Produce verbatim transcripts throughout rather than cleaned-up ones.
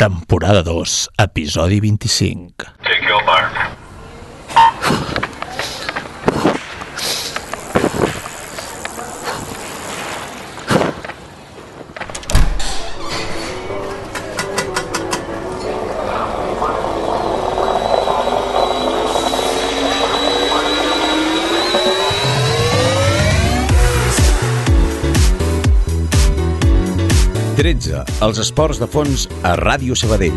temporada dos, episodi vint-i-cinc. Take your mark. tretze. Els esports de fons a Ràdio Sabadell.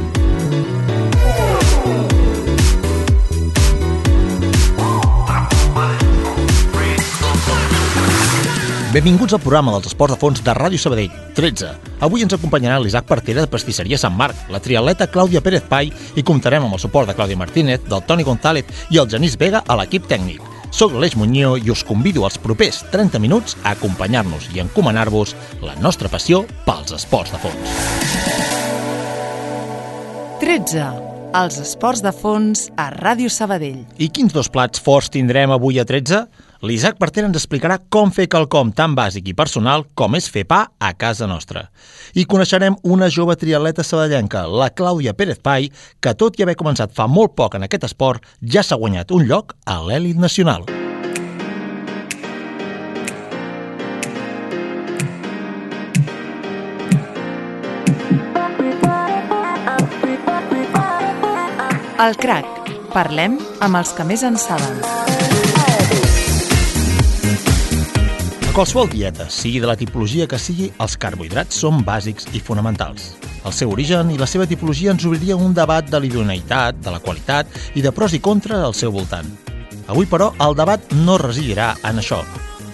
Benvinguts al programa dels esports de fons de Ràdio Sabadell, tretze. Avui ens acompanyarà l'Isaac Partera de Pastisseria Sant Marc, la triatleta Clàudia Pérez Pai i comptarem amb el suport de Clàudia Martínez, del Toni González i el Genís Vega a l'equip tècnic. Soc l'Aleix Muñoz i us convido als propers trenta minuts a acompanyar-nos i encomanar-vos la nostra passió pels esports de fons. tretze. Els esports de fons a Ràdio Sabadell. I quins dos plats forts tindrem avui a tretze? L'Isaac Partera ens explicarà com fer quelcom tan bàsic i personal com és fer pa a casa nostra. I coneixerem una jove triatleta sabadellenca, la Clàudia Pérez Pai, que tot i haver començat fa molt poc en aquest esport, ja s'ha guanyat un lloc a l'elit nacional. El crac. Parlem amb els que més en saben. A qualsevol dieta, sigui de la tipologia que sigui, els carbohidrats són bàsics i fonamentals. El seu origen i la seva tipologia ens obriria un debat de l'idoneïtat, de la qualitat i de pros i contres al seu voltant. Avui, però, el debat no residirà en això.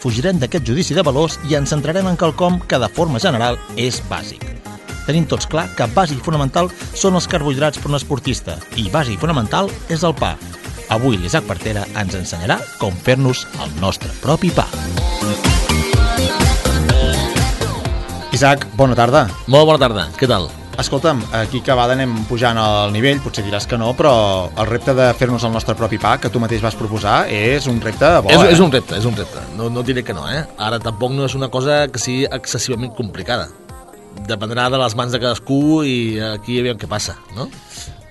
Fugirem d'aquest judici de valors i ens centrarem en quelcom que, de forma general, és bàsic. Tenim tots clar que bàsic i fonamental són els carbohidrats per un esportista i bàsic i fonamental és el pa. Avui l'Isaac Partera ens ensenyarà com fer-nos el nostre propi pa. Isaac, bona tarda. Molt bona tarda, què tal? Escolta'm, aquí que vegada anem pujant al nivell, potser diràs que no, però el repte de fer-nos el nostre propi pa, que tu mateix vas proposar, és un repte bo, és, eh? És un repte, és un repte. No, no diré que no, eh? Ara tampoc no és una cosa que sigui excessivament complicada. Dependrà de les mans de cadascú i aquí aviam què passa, no?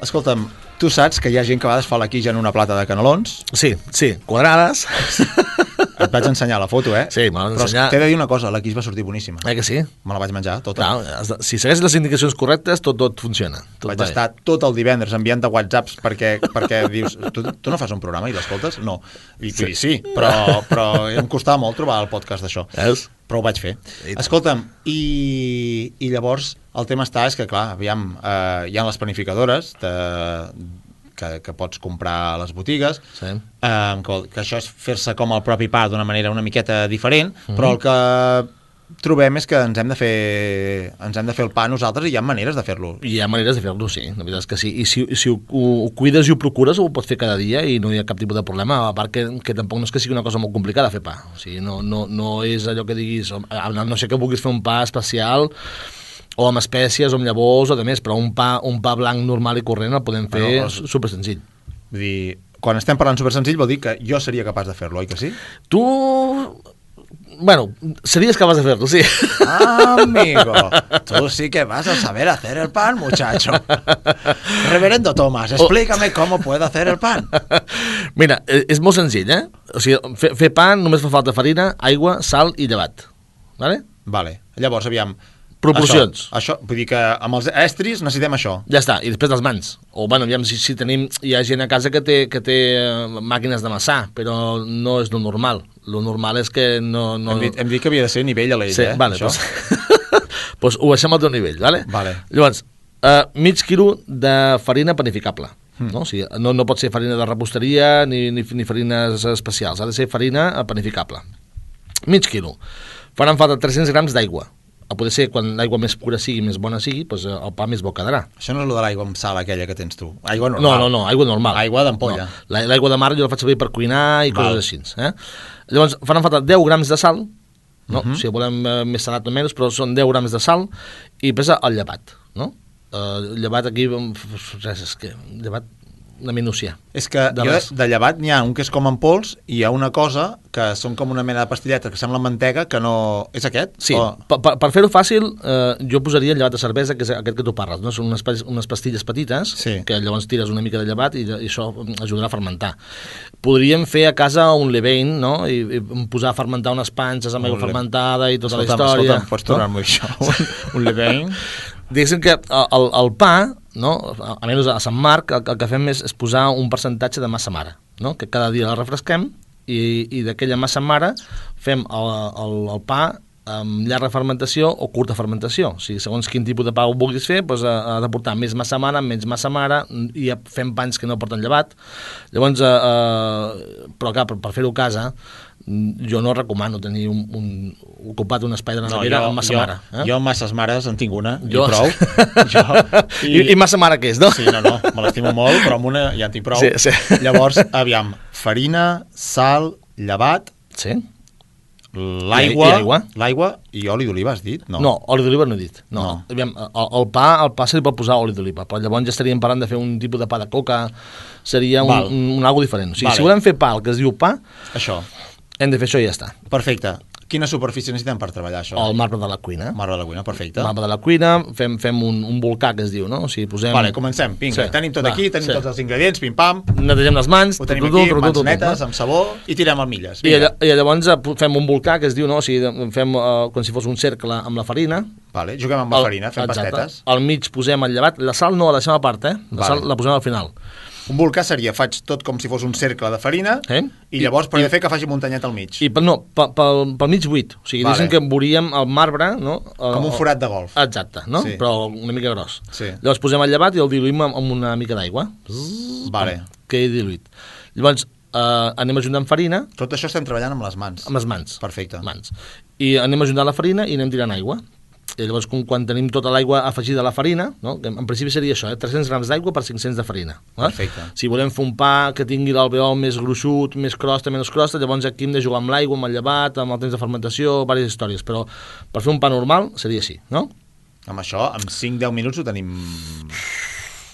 Escolta'm, tu saps que hi ha gent que a vegades fa la quija en una plata de canelons? Sí, sí, quadrades. Et vaig ensenyar la foto, eh? Sí, me l'han ensenyat. Però t'he de dir una cosa, la quija va sortir boníssima. Eh que sí? Me la vaig menjar, tota. Clar, si segueixes les indicacions correctes, tot, tot funciona. Tot vaig estar tot el divendres enviant de whatsapps perquè, perquè dius, tu, tu no fas un programa i l'escoltes? No. I sí, sí però, però em costava molt trobar el podcast d'això. És? Però ho vaig fer. Escolta'm, i, i llavors el tema està, és que clar, aviam, eh, hi ha les planificadores de, que, que pots comprar a les botigues, sí. eh, que, que això és fer-se com el propi pa d'una manera una miqueta diferent, mm-hmm. però el que trobem és que ens hem de fer ens hem de fer el pa nosaltres i hi ha maneres de fer-lo. Hi ha maneres de fer-lo, sí, la veritat és que sí. I si, si ho, ho cuides i ho procures, ho pots fer cada dia i no hi ha cap tipus de problema, a part que, que tampoc no és que sigui una cosa molt complicada fer pa. O sigui, no, no, no és allò que diguis, no sé que vulguis fer un pa especial o amb espècies, o amb llavors, o de més, però un pa, un pa blanc normal i corrent el podem fer bueno, els... super senzill. Vull dir, quan estem parlant super senzill vol dir que jo seria capaç de fer-lo, oi que sí? Tu... Bueno, serías capaz de hacerlo, sí. Ah, amigo, tú sí que vas a saber hacer el pan, muchacho. Reverendo Tomás, explícame cómo puedo hacer el pan. Mira, és molt senzill, eh? O sigui, fer, fer pa només fa falta farina, aigua, sal i llevat. Vale? Vale. Llavors, aviam... Proporcions. Això, això, vull dir que amb els estris necessitem això. Ja està, i després les mans. O, bueno, aviam, si, si tenim... Hi ha gent a casa que té, que té màquines d'amassar, però no és lo normal. Lo normal és que no... no... Hem, dit, hem dit que havia de ser nivell a l'ell, sí, eh? Vale, doncs pues ho baixem al teu nivell, vale? Vale. Llavors, uh, mig quilo de farina panificable. Mm. No? O sigui, no, no pot ser farina de reposteria ni, ni, ni farines especials. Ha de ser farina panificable. Mig quilo. Faran falta tres-cents grams d'aigua. A poder ser, quan l'aigua més pura sigui, més bona sigui, doncs el pa més bo quedarà. Això no és el de l'aigua amb sal aquella que tens tu. Aigua normal. No, no, no, aigua normal. Aigua d'ampolla. No. L'aigua de mar jo la faig servir per cuinar i Val. Coses així. Eh? Llavors, faran falta deu grams de sal, no? Uh-huh. Si volem eh, més salat o menys, però són deu grams de sal, i pesa el llevat, no? Uh, llevat aquí, res, és que llevat una minúcia. És que de, jo, de llevat n'hi ha un que és com en pols i hi ha una cosa que són com una mena de pastilletes que sembla mantega, que no... És aquest? Sí, o... per, per, per fer-ho fàcil, eh, jo posaria el llevat de cervesa, que és aquest que tu parles, no? Són unes, unes pastilles petites, sí. que llavors tires una mica de llevat i, i això ajudarà a fermentar. Podríem fer a casa un levain, no? I, i posar a fermentar unes panses amb aigua fermentada i tota escolta'm, la història. Escolta'm, pots tornar-m'ho això? un, un levain? Diguéssim que el, el pa, no? Almenys a Sant Marc, el, el que fem és, és posar un percentatge de massa mare, no? Que cada dia la refresquem i, i d'aquella massa mare fem el, el, el pa amb llarga fermentació o curta fermentació. O sigui, segons quin tipus de pa ho vulguis fer, doncs ha, ha de portar més massa mare, menys massa mare, i fem pans que no porten llevat. Llavors, eh, eh, però clar, per, per fer-ho a casa, jo no recomano tenir un, un, ocupat un espai de la nevera no, amb massa jo, mare. Eh? Jo amb masses mares en tinc una, jo... i prou. jo, i... I, I massa mare què és, no? Sí, no, no, me l'estimo molt, però amb una ja en tinc prou. Sí, sí. Llavors, aviam, farina, sal, llevat... Sí. L'aigua, l'aigua i oli d'oliva, has dit? No, no oli d'oliva no he dit. No. no. Aviam, el, el pa, el pa se li pot posar oli d'oliva, però llavors ja estaríem parlant de fer un tipus de pa de coca, seria un, un, un algo diferent. O sigui, vale. Si volem fer pa, el que es diu pa, això. Hem de fer això i ja està. Perfecte. Quina superfície necessitem per treballar això? El marbre de la cuina. Marbre de la cuina, perfecte. Marbre de la cuina, fem, fem un, un volcà, que es diu, no? O sigui, posem... Vale, comencem, vinga, sí. Tenim tot Va, aquí, tenim sí. tots els ingredients, pim-pam. Netegem les mans. Ho tenim tu, tu, aquí, tu, tu, mans tu, netes, amb sabó, i tirem el milles. I, I llavors fem un volcà, que es diu, no? O sigui, fem uh, com si fos un cercle amb la farina. Vale, juguem amb la el, farina, fem exacte. pastetes. Al mig posem el llevat. La sal no la deixem a part, eh? La vale. Sal la posem al final. Un volcà seria, faig tot com si fos un cercle de farina, eh? I llavors I, però he de fer que faci muntanyet al mig. I no, pel, pel, pel mig buit. O sigui, vale. Diguéssim que veuríem el marbre, no? El, com un forat de golf. Exacte, no? Sí. Però una mica gros. Sí. Llavors posem el llevat i el diluïm amb una mica d'aigua. Vale. Que he diluït. Llavors eh, anem ajuntant farina. Tot això estem treballant amb les mans. Amb les mans. Perfecte. Mans. I anem ajuntant la farina i anem tirant aigua. I llavors, quan tenim tota l'aigua afegida a la farina, no? Que en principi seria això, eh? tres-cents grams d'aigua per cinc-cents de farina. Eh? Perfecte. Si volem fer un pa que tingui l'alveol més gruixut, més crosta, menys crosta, llavors aquí hem de jugar amb l'aigua, amb el llevat, amb el temps de fermentació, diverses històries, però per fer un pa normal seria així, no? Amb això, en cinc-deu minuts ho tenim...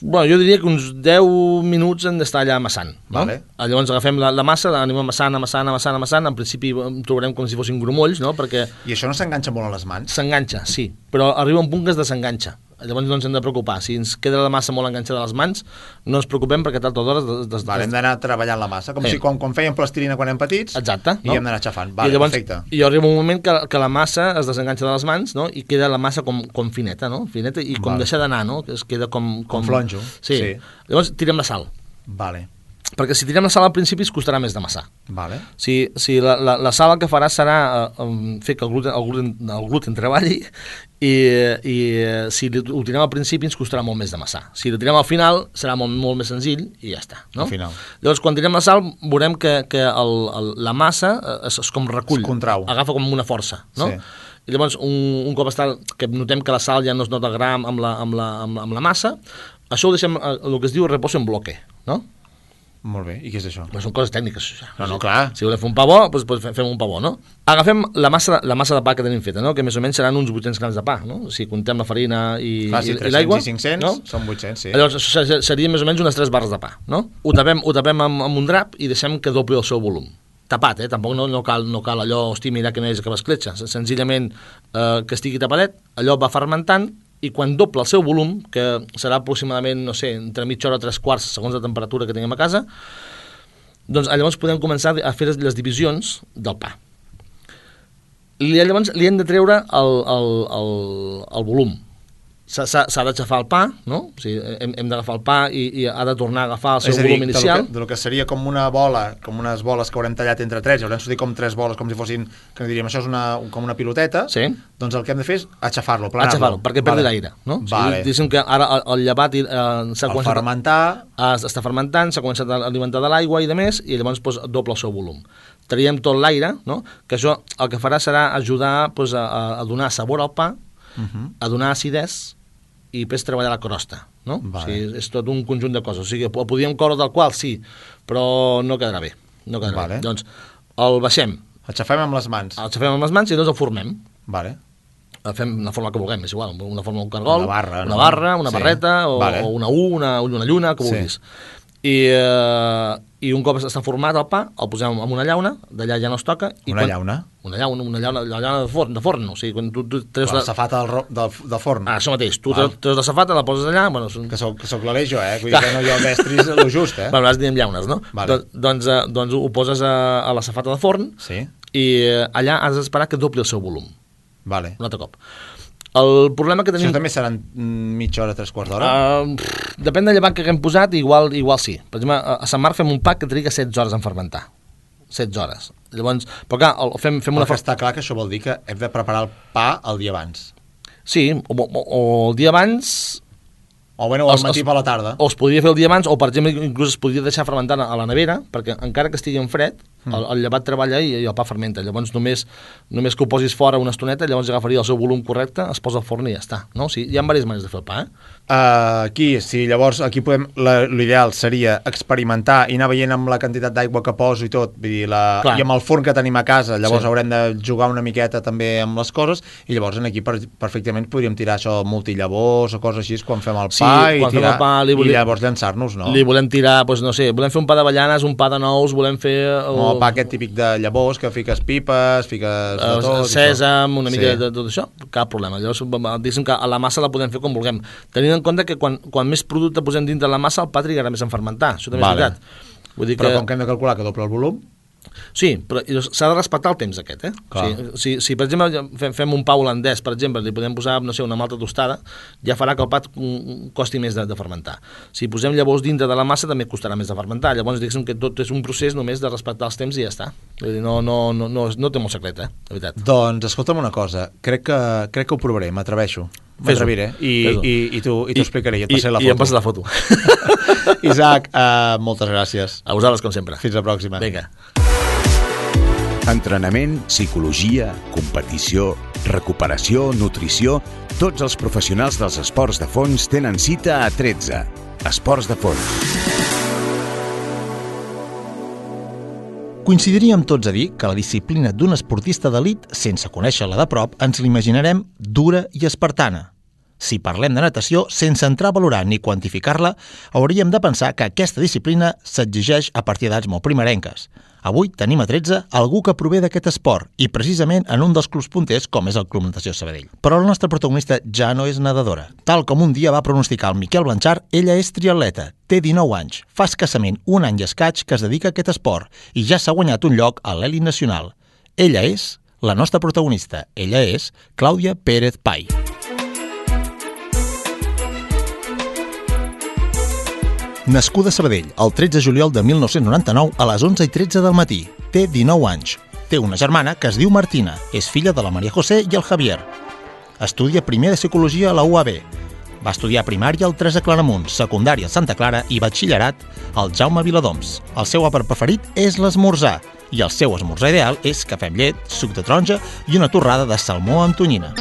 Bueno, jo diria que uns deu minuts hem d'estar allà amassant. No? Vale. Llavors agafem la, la massa, l'anem amassant, amassant, amassant, amassant. En principi trobarem com si fossin grumolls, no? Perquè... I això no s'enganxa molt a les mans? S'enganxa, sí, però arriba un punt que es desenganxa. Llavors no ens hem de preocupar. Si ens queda la massa molt enganxada a les mans, no ens preocupem perquè tard o d'hora... Des, des, vale, hem d'anar treballant la massa, com eh. si quan, quan fèiem plastilina quan érem petits. Exacte. I no? hem d'anar xafant. Vale, I llavors, perfecte. I arriba un moment que, que la massa es desenganxa de les mans, no? I queda la massa com, com fineta, no? Fineta i com vale. Deixar d'anar, no? Que es queda com... Com, com flonjo. Sí. sí. Llavors tirem la sal. Vale. Perquè si tirem la sal al principi es costarà més d'amassar. Vale. Si, si la, la, la sal el que farà serà uh, fer que el gluten, el gluten, el gluten treballi i, i uh, si ho tirem al principi ens costarà molt més d'amassar. Si ho tirem al final serà molt, molt més senzill i ja està. No? Al final. Llavors quan tirem la sal veurem que, que el, el, la massa es, es com recull. Es contrau. Agafa com una força. No? Sí. I llavors un, un cop està, que notem que la sal ja no es nota gram amb la, amb la, amb la, amb la massa, això ho deixem el que es diu reposo en bloque, no? Molt bé, i què és això? Però són coses tècniques. No, no, clar. Si volem fer un pa bo, doncs, doncs fem un pa bo, no? Agafem la massa, la massa de pa que tenim feta, no? Que més o menys seran uns vuit-cents grams de pa, no? Si comptem la farina i, clar, si i, i l'aigua... i cinc-cents, no? Són vuit-cents, sí. Llavors serien més o menys unes tres barres de pa, no? Ho tapem, ho tapem amb, amb un drap i deixem que dobli el seu volum. Tapat, eh? Tampoc no, no, cal, no cal allò, hosti, mira que no és que l'escletxa. Senzillament eh, que estigui tapadet, allò va fermentant i quan doble el seu volum, que serà aproximadament, no sé, entre mitja hora o tres quarts, segons la temperatura que tinguem a casa, doncs llavors podem començar a fer les divisions del pa. I llavors li hem de treure el, el, el, el volum. S'ha d'aixafar el pa, no? O sigui, hem, hem d'agafar el pa i, i ha de tornar a agafar el seu volum inicial. És a dir, del que seria com una bola, com unes boles que haurem tallat entre tres, haurem sortit com tres boles, com si fossin, que diríem, això és una, com una piloteta, sí. Doncs el que hem de fer és aixafar-lo, planar-lo. Aixafar-lo, perquè perdi vale. L'aire, no? Vale. O sigui, diguéssim que ara el, el llevat eh, s'ha començat fermentar. A, està fermentant, s'ha començat a alimentar de l'aigua i de més, i llavors pues, doble el seu volum. Traiem tot l'aire, no? Que això el que farà serà ajudar pues, a, a donar sabor al pa, uh-huh. A donar acidesa, i després treballar la crosta, no? Vale. O sigui, és tot un conjunt de coses. O sigui, el podíem coure del qual, sí, però no quedarà bé. No quedarà vale. Bé. Doncs el baixem. El xafem amb les mans. El xafem amb les mans i llavors el formem. Vale. El fem la forma que vulguem, és igual, una forma d'un cargol, una barra, una, no? barra, una sí. barreta, o, vale. O una U, una, una lluna, que vulguis. Sí. I, uh, i un cop està format el pa, el posem en una llauna, d'allà ja no es toca. I una quan... llauna? Una llauna, una llauna, una llauna de forn, de forn, o sigui, quan tu, tu treus la la... safata del, ro... del, del forn. Ah, això mateix, tu treus, treus la safata, la poses allà... Bueno, són... Que soc, que soc l'Aleix jo, eh? Vull dir que no jo mestris el just, eh? Bueno, nosaltres diem llaunes, no? Vale. Do, doncs, uh, doncs ho poses a, a la safata de forn sí. i uh, allà has d'esperar que dobli el seu volum. Vale. Un altre cop. El problema que tenim... Això també seran mitja hora, tres quarts d'hora? Uh, depèn del llevat que haguem posat, igual, igual sí. Per exemple, a Sant Marc fem un pa que triga setze hores en fermentar. setze hores. Llavors, però clar, el, fem, fem una... Perquè està clar que això vol dir que hem de preparar el pa el dia abans. Sí, o, o, o el dia abans... O bueno, o al matí per la tarda. O es podria fer el dia abans, o per exemple, inclús es podria deixar fermentant a la nevera, perquè encara que estigui en fred, el, el llevat treballa i, i el pa fermenta. Llavors només, només que ho posis fora una estoneta, llavors agafaria el seu volum correcte, es posa al forn i ja està. No? O sigui, hi ha diverses maneres de fer el pa, eh? Uh, aquí, sí, llavors aquí podem, l'ideal seria experimentar i anar veient amb la quantitat d'aigua que poso i tot, vull dir, la, i amb el forn que tenim a casa, llavors sí. Haurem de jugar una miqueta també amb les coses i llavors aquí per, perfectament podríem tirar això multillavors o coses així quan fem el pa, sí, i, tirar, el pa volem, i llavors llançar-nos, no? Li volem tirar, doncs no sé, volem fer un pa d'avellanes, un pa de nous, volem fer... El... No, el pa aquest típic de llavors que fiques pipes, fiques de tot... Sèsam, una mica sí. de tot això, cap problema. Llavors, diguéssim que a la massa la podem fer com vulguem. Tenint en compte que quan, quan més producte posem dintre la massa, el pa trigarà més en fermentar. Això també vale. És veritat. Vull dir però que... com que hem de calcular que doble el volum... Sí, però s'ha de respectar el temps aquest, eh? O sigui, si, si, per exemple, fem, fem un pa holandès, per exemple, li podem posar, no sé, una malta tostada, ja farà que el pa costi més de, de fermentar. Si posem llavors dintre de la massa, també costarà més de fermentar. Llavors, diguéssim que tot és un procés només de respectar els temps i ja està. Vull dir, no, no, no, no, no té molt secret, eh? De veritat. Doncs, escolta'm una cosa, crec que, crec que ho provaré, m'atreveixo. M'atreviré i, i, i t'ho explicaré i et passaré la foto. I em passes la foto. Isaac, uh, moltes gràcies. A vosaltres, com sempre. Fins la pròxima. Vinga. Entrenament, psicologia, competició, recuperació, nutrició... Tots els professionals dels esports de fons tenen cita a tretze. Esports de fons. Coincidiríem tots a dir que la disciplina d'un esportista d'elit, sense conèixer-la de prop, ens l'imaginarem dura i espartana. Si parlem de natació, sense entrar a valorar ni quantificar-la, hauríem de pensar que aquesta disciplina s'exigeix a partir d'edats molt primerenques. Avui tenim a tretze algú que prové d'aquest esport i precisament en un dels clubs punters com és el Club Natació Sabadell. Però la nostra protagonista ja no és nedadora. Tal com un dia va pronosticar el Miquel Blanchard, ella és triatleta, té dinou anys, fa escassament un any i escaig que es dedica a aquest esport i ja s'ha guanyat un lloc a l'elit nacional. Ella és la nostra protagonista, ella és Clàudia Pérez Pai. Nascuda a Sabadell, el tretze de juliol de mil nou-cents noranta-nou a les onze i tretze del matí. Té dinou anys. Té una germana que es diu Martina. És filla de la Maria José i el Javier. Estudia primer de psicologia a la U A B. Va estudiar primària al Teresa Claramunt, secundària al Santa Clara i batxillerat al Jaume Viladoms. El seu àpat preferit és l'esmorzar i el seu esmorzar ideal és cafè amb llet, suc de taronja i una torrada de salmó amb tonyina.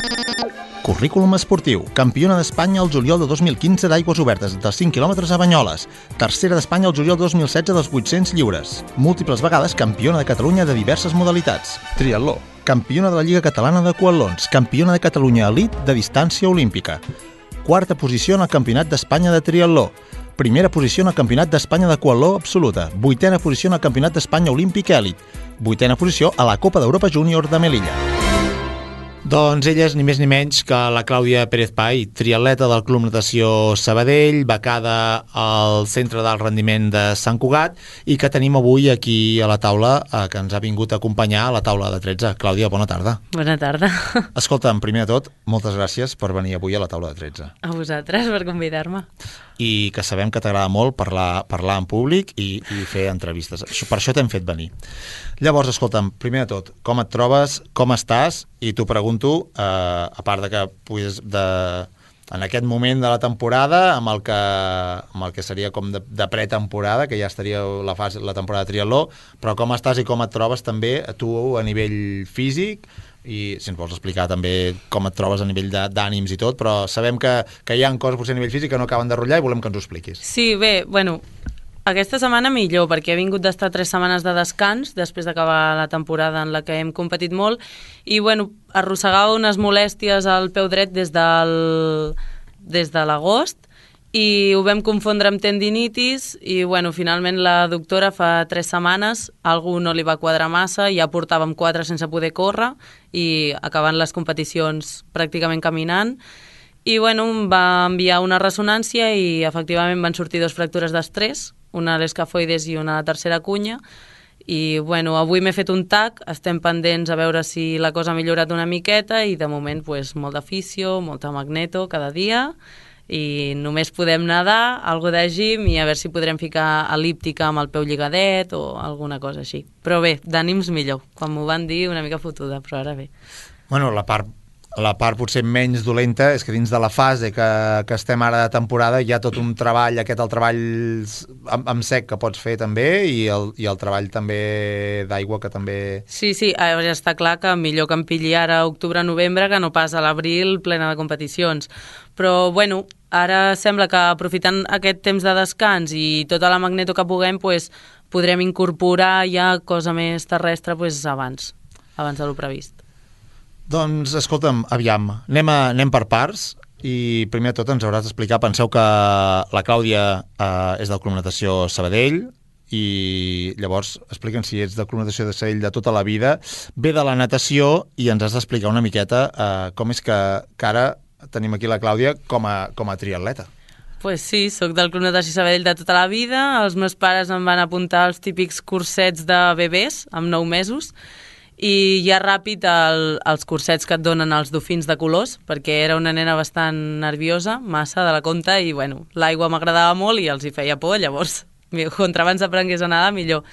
Currículum esportiu. Campiona d'Espanya el juliol de dos mil quinze d'aigües obertes dels cinc quilòmetres a Banyoles. Tercera d'Espanya el juliol de dos mil setze dels vuit-cents lliures. Múltiples vegades campiona de Catalunya de diverses modalitats. Triatló. Campiona de la Lliga Catalana de Coatlons. Campiona de Catalunya elit de distància olímpica. Quarta posició en el Campionat d'Espanya de Triatló. Primera posició en el Campionat d'Espanya de Coatló absoluta. Vuitena posició en el Campionat d'Espanya olímpic elit. Vuitena posició a la Copa d'Europa Júnior de Melilla. Doncs ella és ni més ni menys que la Clàudia Pérez Pai, triatleta del Club Natació Sabadell, becada al Centre d'Alt Rendiment de Sant Cugat i que tenim avui aquí a la taula, eh, que ens ha vingut a acompanyar a la taula de tretze. Clàudia, bona tarda. Bona tarda. Escolta'm, primer de tot, moltes gràcies per venir avui a la taula de tretze. A vosaltres per convidar-me. I que sabem que t'agrada molt parlar, parlar en públic i, i fer entrevistes. Per això t'hem fet venir. Llavors, escolta'm, primer de tot, com et trobes, com estàs? I t'ho pregunto, eh, a part de que puguis de, en aquest moment de la temporada, amb el que, amb el que seria com de, de pretemporada, que ja estaria la, fase, la temporada de triatló, però com estàs i com et trobes també tu a nivell físic, i si ens vols explicar també com et trobes a nivell d'ànims i tot, però sabem que, que hi ha coses potser a nivell físic que no acaben de rotllar i volem que ens ho expliquis. Sí, bé, bueno, aquesta setmana millor, perquè he vingut d'estar tres setmanes de descans després d'acabar la temporada en la que hem competit molt i, bueno, arrossegava unes molèsties al peu dret des del des de l'agost i ho vam confondre amb tendinitis i bueno, finalment la doctora fa tres setmanes algú no li va quadrar massa, ja portàvem quatre sense poder córrer i acabant les competicions pràcticament caminant i bueno, em va enviar una ressonància i efectivament van sortir dos fractures d'estrès, una a l'escafoides i una a la tercera cunya i bueno, avui m'he fet un tac, estem pendents a veure si la cosa ha millorat una miqueta i de moment pues, molt de fisio, molta magneto cada dia i només podem nedar, algo de gym i a veure si podrem ficar elíptica amb el peu lligadet o alguna cosa així. Però bé, d'ànims millor. Quan m'ho van dir una mica fotuda, però ara bé. Bueno, la part la part potser menys dolenta és que dins de la fase que, que estem ara de temporada hi ha tot un treball, aquest el treball amb, amb sec que pots fer també i el, i el treball també d'aigua que també... Sí, sí, ja està clar que millor que em pilli ara octubre-novembre que no pas a l'abril plena de competicions. Però, bueno, ara sembla que aprofitant aquest temps de descans i tota la magneto que puguem, pues, podrem incorporar ja cosa més terrestre pues, abans, abans de lo previst. Doncs, escolta'm, aviam, anem, a, anem per parts i primer de tot ens hauràs d'explicar, penseu que la Clàudia eh, és del Club Natació Sabadell i llavors explica'ns si ets del Club Natació de Sabadell de tota la vida, ve de la natació i ens has d'explicar una miqueta eh, com és que, que ara tenim aquí la Clàudia com a, com a triatleta. Pues sí, sóc del Club Natació Sabadell de tota la vida, els meus pares em van apuntar als típics cursets de bebès amb nou mesos i ja ràpid el, els cursets que et donen els dofins de colors, perquè era una nena bastant nerviosa, massa de la compte, i bueno, l'aigua m'agradava molt i els hi feia por, llavors, contra abans aprengués a nedar, millor.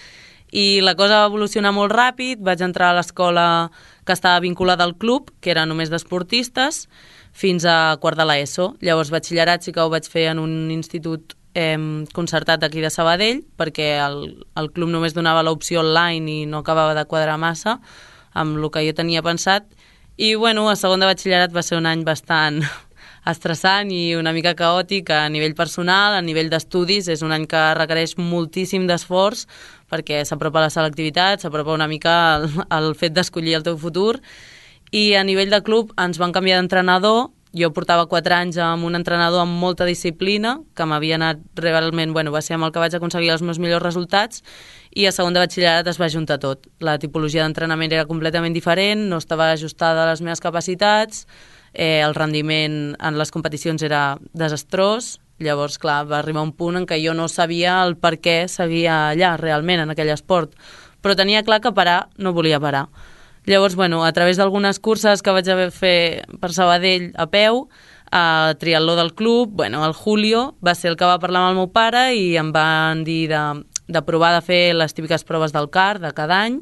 I la cosa va evolucionar molt ràpid, vaig entrar a l'escola que estava vinculada al club, que era només d'esportistes, fins a quart de l'ESO. Llavors, batxillerat sí que ho vaig fer en un institut eh, concertat aquí de Sabadell, perquè el, el club només donava l'opció online i no acabava de quadrar massa amb el que jo tenia pensat. I, bueno, a segon de batxillerat va ser un any bastant estressant i una mica caòtic a nivell personal, a nivell d'estudis. És un any que requereix moltíssim d'esforç perquè s'apropa la selectivitat, s'apropa una mica el, el fet d'escollir el teu futur. I a nivell de club ens van canviar d'entrenador. Jo portava quatre anys amb un entrenador amb molta disciplina, que m'havia anat realment, bueno, va ser amb el que vaig aconseguir els meus millors resultats, i a segon de batxillerat es va juntar tot. La tipologia d'entrenament era completament diferent, no estava ajustada a les meves capacitats, eh, el rendiment en les competicions era desastrós, llavors, clar, va arribar un punt en què jo no sabia el per què seguia allà, realment, en aquell esport, però tenia clar que parar no volia parar. Llavors, bueno, a través d'algunes curses que vaig haver fer per Sabadell a peu, a triatló del club, bueno, el Julio va ser el que va parlar amb el meu pare i em van dir de, de provar de fer les típiques proves del C A R de cada any.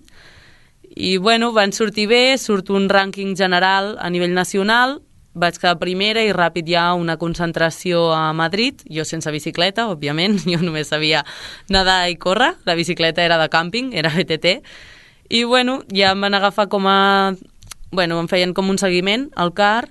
I, bueno, van sortir bé, surt un rànquing general a nivell nacional, vaig quedar primera i ràpid hi ha una concentració a Madrid, jo sense bicicleta, òbviament, jo només sabia nedar i córrer, la bicicleta era de càmping, era B T T, i, bueno, ja em van agafar com a... Bueno, em feien com un seguiment al C A R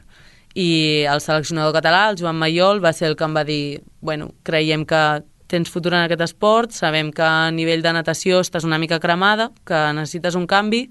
i el seleccionador català, el Joan Mayol, va ser el que em va dir bueno, creiem que tens futur en aquest esport, sabem que a nivell de natació estàs una mica cremada, que necessites un canvi,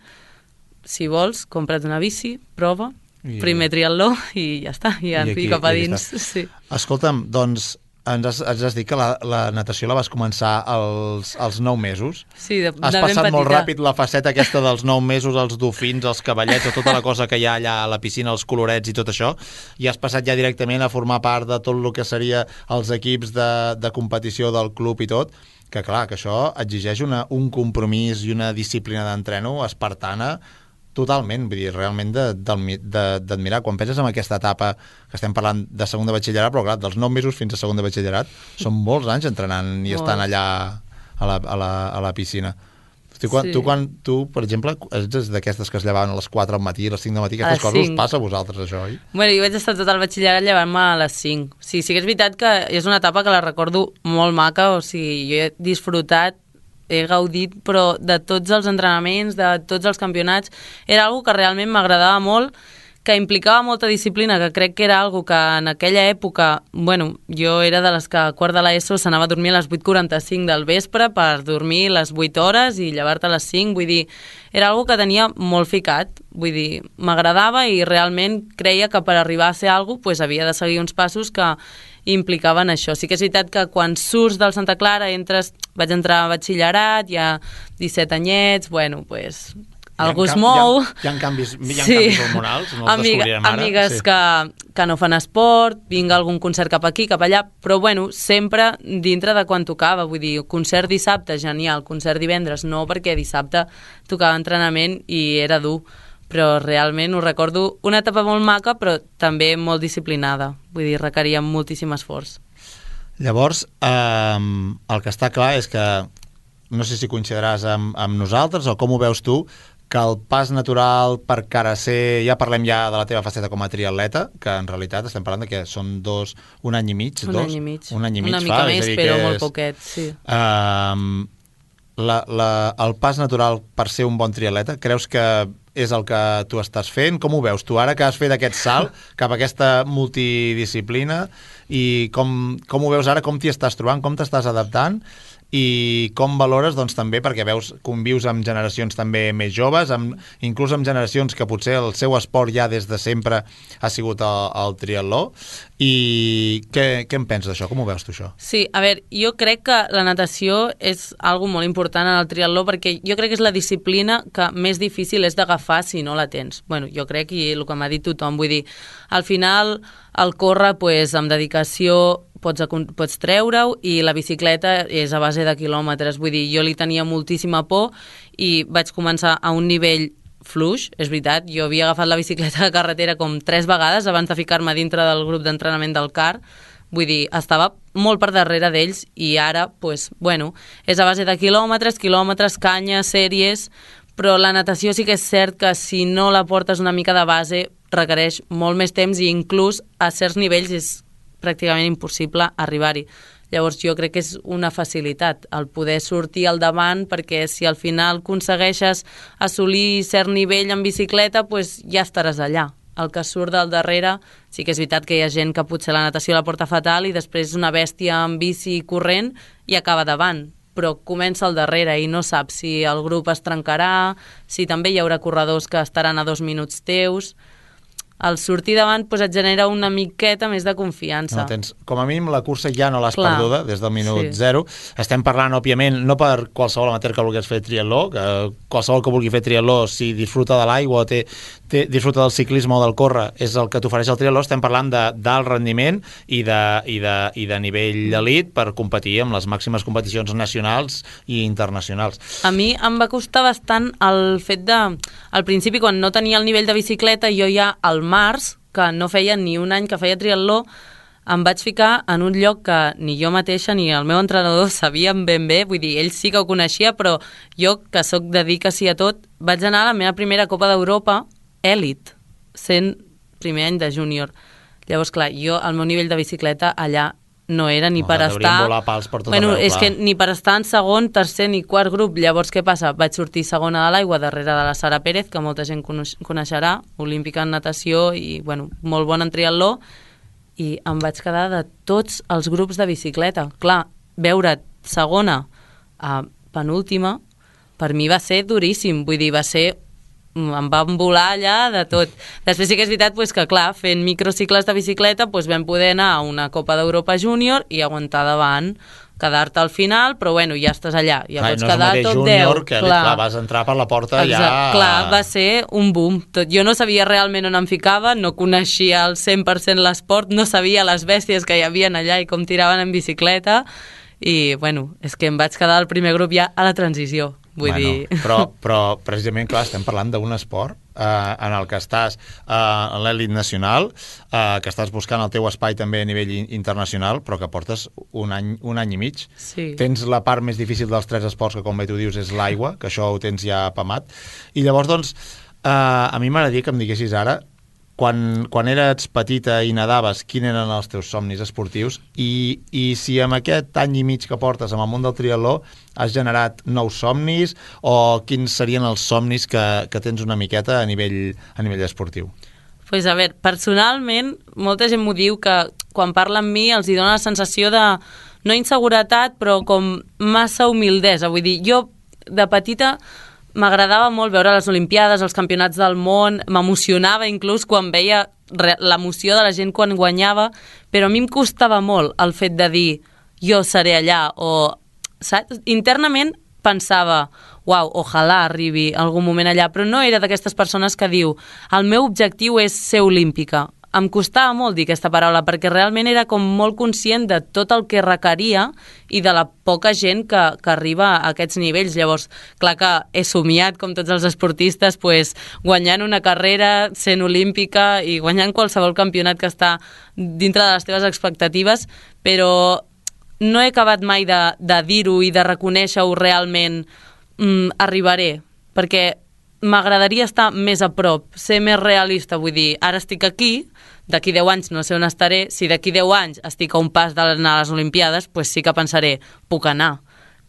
si vols, compra't una bici, prova, I... primer triatló i ja està, i, I, aquí, i cap a dins. Sí. Escolta'm, doncs ens has, ens has dit que la, la natació la vas començar als, als nou mesos. Sí, de, has de passat ben molt petita. ràpid la faceta aquesta dels nou mesos, els dofins, els cavallets, tota la cosa que hi ha allà a la piscina, els colorets i tot això, i has passat ja directament a formar part de tot el que seria els equips de, de competició del club i tot, que clar, que això exigeix una, un compromís i una disciplina d'entreno espartana totalment, vull dir, realment d'admirar. Quan penses en aquesta etapa, que estem parlant de segon de batxillerat, però clar, dels nou mesos fins a segon de batxillerat, són molts anys entrenant i Molt. estan allà a la, a la, a la piscina. Tu, quan, sí. tu, quan, tu, per exemple, ets d'aquestes que es llevaven a les quatre al matí, a les cinc del matí, aquestes coses us passa a vosaltres, això, oi? Bueno, jo vaig estar tot el batxillerat llevant-me a les cinc. Sí, sí que és veritat que és una etapa que la recordo molt maca, o sigui, jo he disfrutat he gaudit, però de tots els entrenaments, de tots els campionats, era algo que realment m'agradava molt, que implicava molta disciplina, que crec que era algo que en aquella època, bueno, jo era de les que a quart de l'ESO s'anava a dormir a les vuit quaranta-cinc del vespre per dormir les vuit hores i llevar-te a les cinc, vull dir, era algo que tenia molt ficat, vull dir, m'agradava i realment creia que per arribar a ser algo pues, havia de seguir uns passos que implicaven això. Sí que és veritat que quan surts del Santa Clara entres, vaig entrar a batxillerat, hi ha disset anyets, bueno, doncs... Pues, algú es mou. Hi ha, hi ha canvis, hi ha sí. canvis hormonals, no els Amiga, descobrirem ara. Amigues sí. que, que no fan esport, vinga algun concert cap aquí, cap allà, però bueno, sempre dintre de quan tocava, vull dir, concert dissabte, genial, concert divendres, no, perquè dissabte tocava entrenament i era dur, però realment ho recordo una etapa molt maca, però també molt disciplinada, vull dir, requeria moltíssim esforç. Llavors, eh, el que està clar és que, no sé si coincidiràs amb, amb nosaltres o com ho veus tu, que el pas natural per Carasser, ja parlem ja de la teva faceta com a triatleta, que en realitat estem parlant de que són dos, un any i mig, un dos? Any i mig. Un any i mig. Una mica fa, més, és però és, molt poquet, sí. Uh, la, la, el pas natural per ser un bon triatleta, creus que és el que tu estàs fent? Com ho veus tu ara que has fet aquest salt cap a aquesta multidisciplina i com, com ho veus ara, com t'hi estàs trobant, com t'estàs adaptant? I com valores, doncs, també, perquè veus, convius amb generacions també més joves, amb, inclús amb generacions que potser el seu esport ja des de sempre ha sigut el, el triatló, i què, què en penses d'això? Com ho veus tu, això? Sí, a veure, jo crec que la natació és algo molt important en el triatló, perquè jo crec que és la disciplina que més difícil és d'agafar si no la tens. Bueno, jo crec, i el que m'ha dit tothom, vull dir, al final el córrer, pues, amb dedicació pots, pots treure-ho, i la bicicleta és a base de quilòmetres. Vull dir, jo li tenia moltíssima por i vaig començar a un nivell fluix, és veritat. Jo havia agafat la bicicleta de carretera com tres vegades abans de ficar-me dintre del grup d'entrenament del C A R. Vull dir, estava molt per darrere d'ells i ara, pues, bueno, és a base de quilòmetres, quilòmetres, canya, sèries, però la natació sí que és cert que si no la portes una mica de base requereix molt més temps i inclús a certs nivells és pràcticament impossible arribar-hi. Llavors jo crec que és una facilitat el poder sortir al davant, perquè si al final aconsegueixes assolir cert nivell en bicicleta, pues ja estaràs allà. El que surt del darrere, sí que és veritat que hi ha gent que potser la natació la porta fatal i després una bèstia en bici corrent i acaba davant, però comença al darrere i no saps si el grup es trencarà, si també hi haurà corredors que estaran a dos minuts teus. Al sortir davant pues, et genera una miqueta més de confiança. No, tens, com a mínim la cursa ja no l'has Clar, perduda des del minut sí. zero. Estem parlant, òbviament, no per qualsevol amateur que vulguis fer triatló, que qualsevol que vulgui fer triatló, si disfruta de l'aigua o té, té, disfruta del ciclisme o del córrer, és el que t'ofereix el triatló. Estem parlant d'alt rendiment i de, i, de, i de nivell d'elit per competir amb les màximes competicions nacionals i internacionals. A mi em va costar bastant el fet de... Al principi, quan no tenia el nivell de bicicleta, jo ja al març, que no feia ni un any que feia triatló, em vaig ficar en un lloc que ni jo mateixa ni el meu entrenador sabíem ben bé, vull dir, ell sí que ho coneixia, però jo, que sóc de dir que sí a tot, vaig anar a la meva primera Copa d'Europa èlit, sent primer any de júnior. Llavors, clar, jo, el meu nivell de bicicleta allà no era ni no, per estar... volar pals per tot bueno, arreu, és que ni per estar en segon, tercer ni quart grup. Llavors, què passa? Vaig sortir segona de l'aigua darrere de la Sara Pérez, que molta gent coneixerà, olímpica en natació i, bueno, molt bona en triatló, i em vaig quedar de tots els grups de bicicleta. Clar, veure segona a penúltima, per mi va ser duríssim, vull dir, va ser... em van volar allà de tot. Després sí que és veritat pues, que, clar, fent microcicles de bicicleta pues, vam poder anar a una Copa d'Europa júnior i aguantar davant, quedar-te al final, però bueno, ja estàs allà, ja clar, pots no quedar tot júnior, deu. Que clar. clar, vas entrar per la porta Exacte. ja... Clar, va ser un boom. Tot. Jo no sabia realment on em ficava, no coneixia al cent per cent l'esport, no sabia les bèsties que hi havia allà i com tiraven en bicicleta, i bueno, és que em vaig quedar al primer grup ja a la transició. Vull bueno, dir... però, però precisament, clar, estem parlant d'un esport eh, en el que estàs eh, en l'elit nacional, eh, que estàs buscant el teu espai també a nivell internacional, però que portes un any, un any i mig. Sí. Tens la part més difícil dels tres esports, que com bé tu dius és l'aigua, que això ho tens ja apamat. I llavors, doncs, eh, a mi m'agradaria que em diguessis ara, quan, quan eres petita i nadaves, quins eren els teus somnis esportius i, i si amb aquest any i mig que portes amb el món del triatló has generat nous somnis o quins serien els somnis que, que tens una miqueta a nivell, a nivell esportiu? Pues a veure, personalment, molta gent m'ho diu que quan parla amb mi els hi dona la sensació de, no inseguretat, però com massa humildesa. Vull dir, jo de petita m'agradava molt veure les Olimpiades, els campionats del món, m'emocionava inclús quan veia l'emoció de la gent quan guanyava, però a mi em costava molt el fet de dir jo seré allà, o saps? Internament pensava, uau, ojalà arribi algun moment allà, però no era d'aquestes persones que diu el meu objectiu és ser olímpica. Em costava molt dir aquesta paraula perquè realment era com molt conscient de tot el que requeria i de la poca gent que, que arriba a aquests nivells. Llavors, clar que he somiat, com tots els esportistes, pues, guanyant una carrera, sent olímpica i guanyant qualsevol campionat que està dintre de les teves expectatives, però no he acabat mai de, de dir-ho i de reconèixer-ho realment. Mm, arribaré, perquè m'agradaria estar més a prop, ser més realista, vull dir, ara estic aquí, d'aquí deu anys no sé on estaré, si d'aquí deu anys estic a un pas d'anar a les Olimpiades, pues sí que pensaré, puc anar,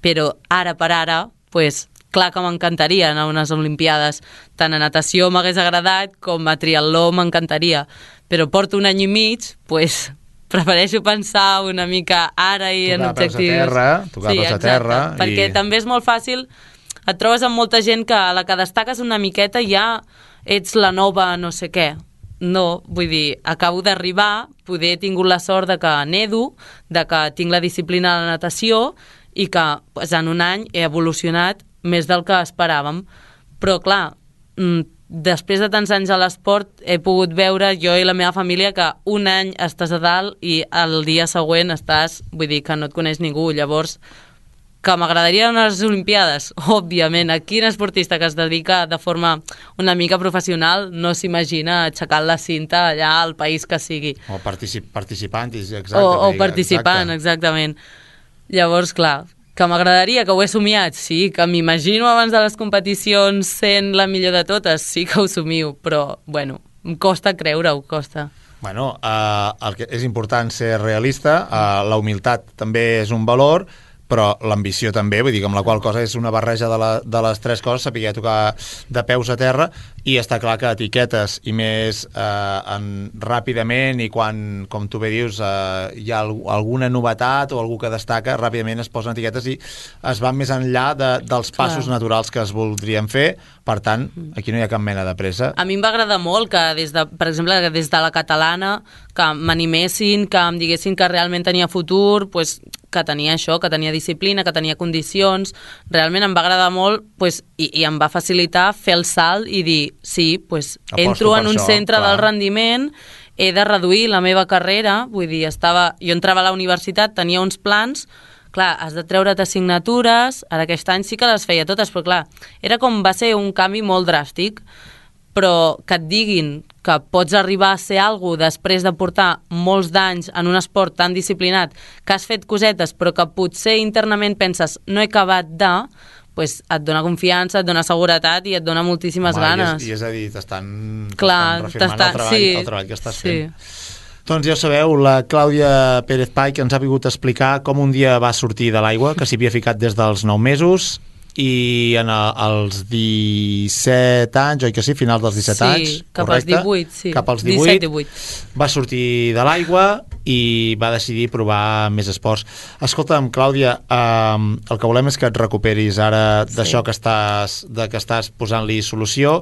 però ara per ara, pues, clar que m'encantaria anar a unes Olimpiades, tant a natació m'hagués agradat com a triatló m'encantaria, però porto un any i mig, pues, prefereixo pensar una mica ara i tocar en objectius. Tocar peus a terra, tocar sí, peus a terra. I... perquè també és molt fàcil, et trobes amb molta gent que a la que destaques una miqueta ja ets la nova no sé què. No, vull dir, acabo d'arribar, poder he tingut la sort de que nedo, de que tinc la disciplina de la natació i que pues, en un any he evolucionat més del que esperàvem. Però clar, després de tants anys a l'esport he pogut veure jo i la meva família que un any estàs a dalt i el dia següent estàs, vull dir, que no et coneix ningú. Llavors, que m'agradaria anar a les Olimpiades, òbviament. Quin esportista que es dedica de forma una mica professional no s'imagina aixecant la cinta allà al país que sigui. O particip participant, exacte. O, o participant, exacte. Exactament. Llavors, clar, que m'agradaria, que ho he somiat, sí, que m'imagino abans de les competicions sent la millor de totes, sí que ho somio, però, bueno, em costa creure-ho, costa. Bueno, eh, el que és important ser realista, eh, la humilitat també és un valor, però l'ambició també, vull dir que amb la qual cosa és una barreja de, la, de les tres coses, saber tocar de peus a terra, i està clar que etiquetes i més eh, en, ràpidament, i quan, com tu bé dius, eh, hi ha alguna novetat o algú que destaca, ràpidament es posen etiquetes i es van més enllà de, dels passos clar. naturals que es voldrien fer. Per tant, aquí no hi ha cap mena de pressa. A mi em va agradar molt que, des de, per exemple, des de la catalana, que m'animessin, que em diguessin que realment tenia futur, pues, que tenia això, que tenia disciplina, que tenia condicions. Realment em va agradar molt pues, i, i em va facilitar fer el salt i dir, sí, pues, entro en un això, centre clar. del rendiment, he de reduir la meva carrera, vull dir, estava, jo entrava a la universitat, tenia uns plans, clar, has de treure't assignatures, ara aquest any sí que les feia totes, però clar, era com va ser un canvi molt dràstic, però que et diguin que pots arribar a ser algú després de portar molts d'anys en un esport tan disciplinat, que has fet cosetes, però que potser internament penses no he acabat de, pues et dona confiança, et dona seguretat i et dona moltíssimes Home, ganes. I és, i és a dir, t'estan refirmant el treball, sí, el treball que estàs sí. fent. Doncs ja ho sabeu, la Clàudia Pérez Pai, que ens ha vingut a explicar com un dia va sortir de l'aigua, que s'hi havia ficat des dels nou mesos, i en el, als disset anys, oi que sí? Finals dels disset sí, anys, cap correcte? Als divuit, sí. Cap als divuit, disset divuit. Va sortir de l'aigua i va decidir provar més esports. Escolta'm, Clàudia, eh, el que volem és que et recuperis ara sí. d'això que estàs, de que estàs posant-li solució,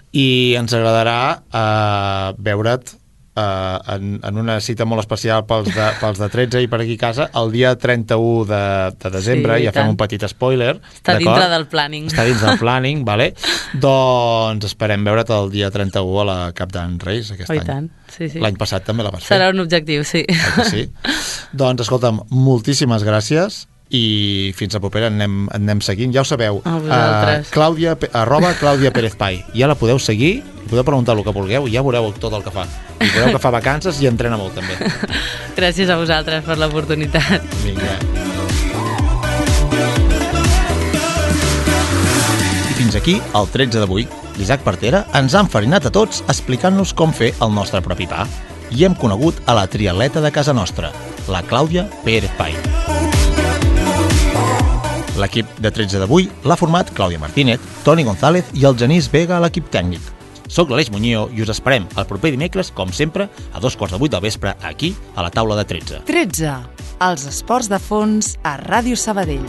i ens agradarà eh, veure't Uh, en, en una cita molt especial pels de, pels de tretze i per aquí a casa el dia trenta-u de, de desembre, sí, ja fem un petit spoiler, està dintre del planning està dins del planning, vale? Doncs esperem veure't el dia trenta-u a la Cap d'Any Reis aquest oh, any. Tant. Sí, sí. L'any passat també la vas fer. Serà un objectiu, sí, sí. Doncs escolta'm, moltíssimes gràcies i fins a propera anem, anem seguint, ja ho sabeu, uh, Clàudia, arroba Clàudia Pérez Pai, ja la podeu seguir, podeu preguntar el que vulgueu i ja veureu tot el que fa, i veureu que fa vacances i entrena molt també. Gràcies a vosaltres per l'oportunitat. Vinga. I fins aquí el tretze d'avui. L'Isaac Partera ens ha enfarinat a tots explicant-nos com fer el nostre propi pa, i hem conegut a la triatleta de casa nostra, la Clàudia Pérez Pai. L'equip de tretze d'avui l'ha format Clàudia Martínez, Toni González i el Genís Vega a l'equip tècnic. Soc l'Aleix Muñoz i us esperem el proper dimecres, com sempre, a dos quarts de vuit del vespre, aquí, a la taula de tretze. tretze. Els esports de fons a Ràdio Sabadell.